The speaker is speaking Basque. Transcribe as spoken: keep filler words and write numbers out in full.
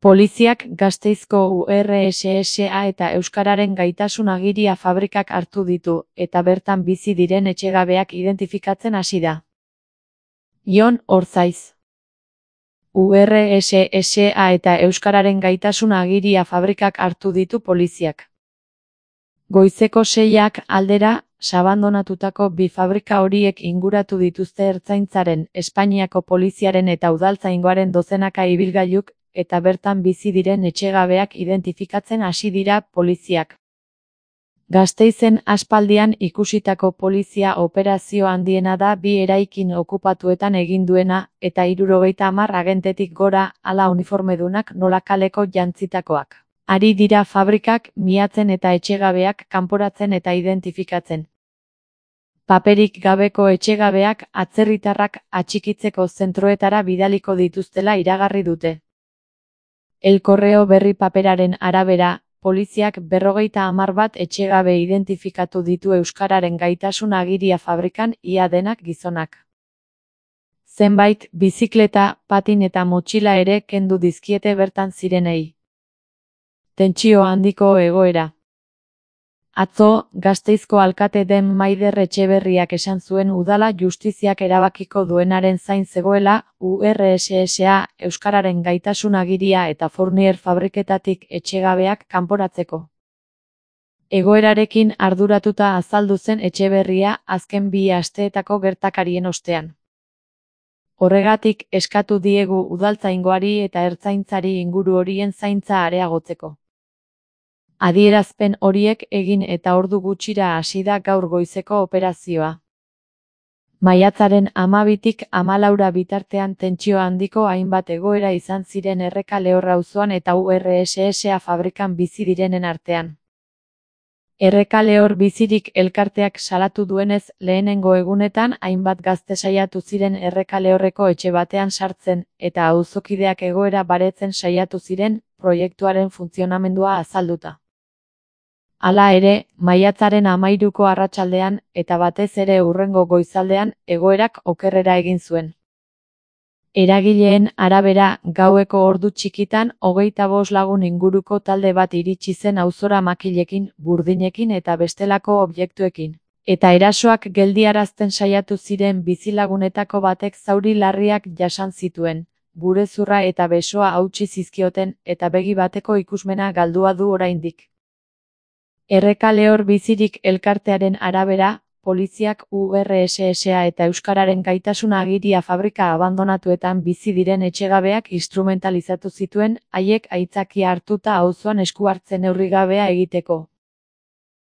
Poliziak Gasteizko U R S S A eta Euskararen Gaitasun Agiria fabrikak hartu ditu, eta bertan bizi diren etxegabeak identifikatzen hasi da. Jon Orzaiz. U R S S A eta Euskararen Gaitasun Agiria fabrikak hartu ditu poliziak. Goizeko seiak aldera, sabandonatutako bi fabrika horiek inguratu dituzte Ertzaintzaren, Espainiako poliziaren eta udaltzaingoaren dozenaka ibilgailuk, eta bertan bizi diren etxegabeak identifikatzen hasi dira poliziak. Gasteizen aspaldian ikusitako polizia operazio handiena da bi eraikin okupatuetan egin duena, eta hirurogeita hamar agentetik gora, hala uniformedunak nola kaleko jantzitakoak. Ari dira fabrikak, miatzen eta etxegabeak kanporatzen eta identifikatzen. Paperik gabeko etxegabeak atzerritarrak atxikitzeko zentroetara bidaliko dituztela iragarri dute. El Correo berri paperaren arabera, poliziak berrogeita hamar bat etxegabe identifikatu ditu Euskararen Gaitasun Agiria fabrikan, ia denak gizonak. Zenbait, bizikleta, patin eta motxila ere kendu dizkiete bertan zirenei. Tentsio handiko egoera. Atzo, Gasteizko alkate den Maider Etxeberriak esan zuen udala justiziak erabakiko duenaren zain zegoela, U R S S A, Euskararen Gaitasun Agiria eta Fournier fabriketatik etxegabeak kanporatzeko. Egoerarekin arduratuta azaldu zen Etxeberria azken bi asteetako gertakarien ostean. Horregatik eskatu diegu udaltzaingoari eta ertzaintzari inguru horien zaintza areagotzeko. Adierazpen horiek egin eta ordu gutxira hasi da gaur goizeko operazioa. Maiatzaren hamabitik hamalaura bitartean tentsio handiko hainbat egoera izan ziren Erreka Lehorra auzoan eta U R S S A fabrikan bizi direnen artean. Erreka Lehor bizirik elkarteak salatu duenez, lehenengo egunetan hainbat gazte saiatu ziren Erreka Lehorreko etxe batean sartzen, eta auzokideak egoera baretzen saiatu ziren, proiektuaren funtzionamendua azalduta. Hala ere, maiatzaren hamairuko arratsaldean, eta batez ere hurrengo goizaldean, egoerak okerrera egin zuen. Eragileen arabera, gaueko ordu txikitan, hogeita bost lagun inguruko talde bat iritsi zen auzora makilekin, burdinekin eta bestelako objektuekin. Eta erasoak geldiarazten saiatu ziren bizilagunetako batek zauri larriak jasan zituen, burezurra eta besoa hautsi zizkioten, eta begi bateko ikusmena galdua du oraindik. Erreka Lehor bizirik elkartearen arabera, poliziak U R S S A eta Euskararen Gaitasun Agiria fabrika abandonatuetan bizi diren etxegabeak instrumentalizatu zituen, haiek aitzakia hartuta auzoan esku hartze neurrigabea egiteko.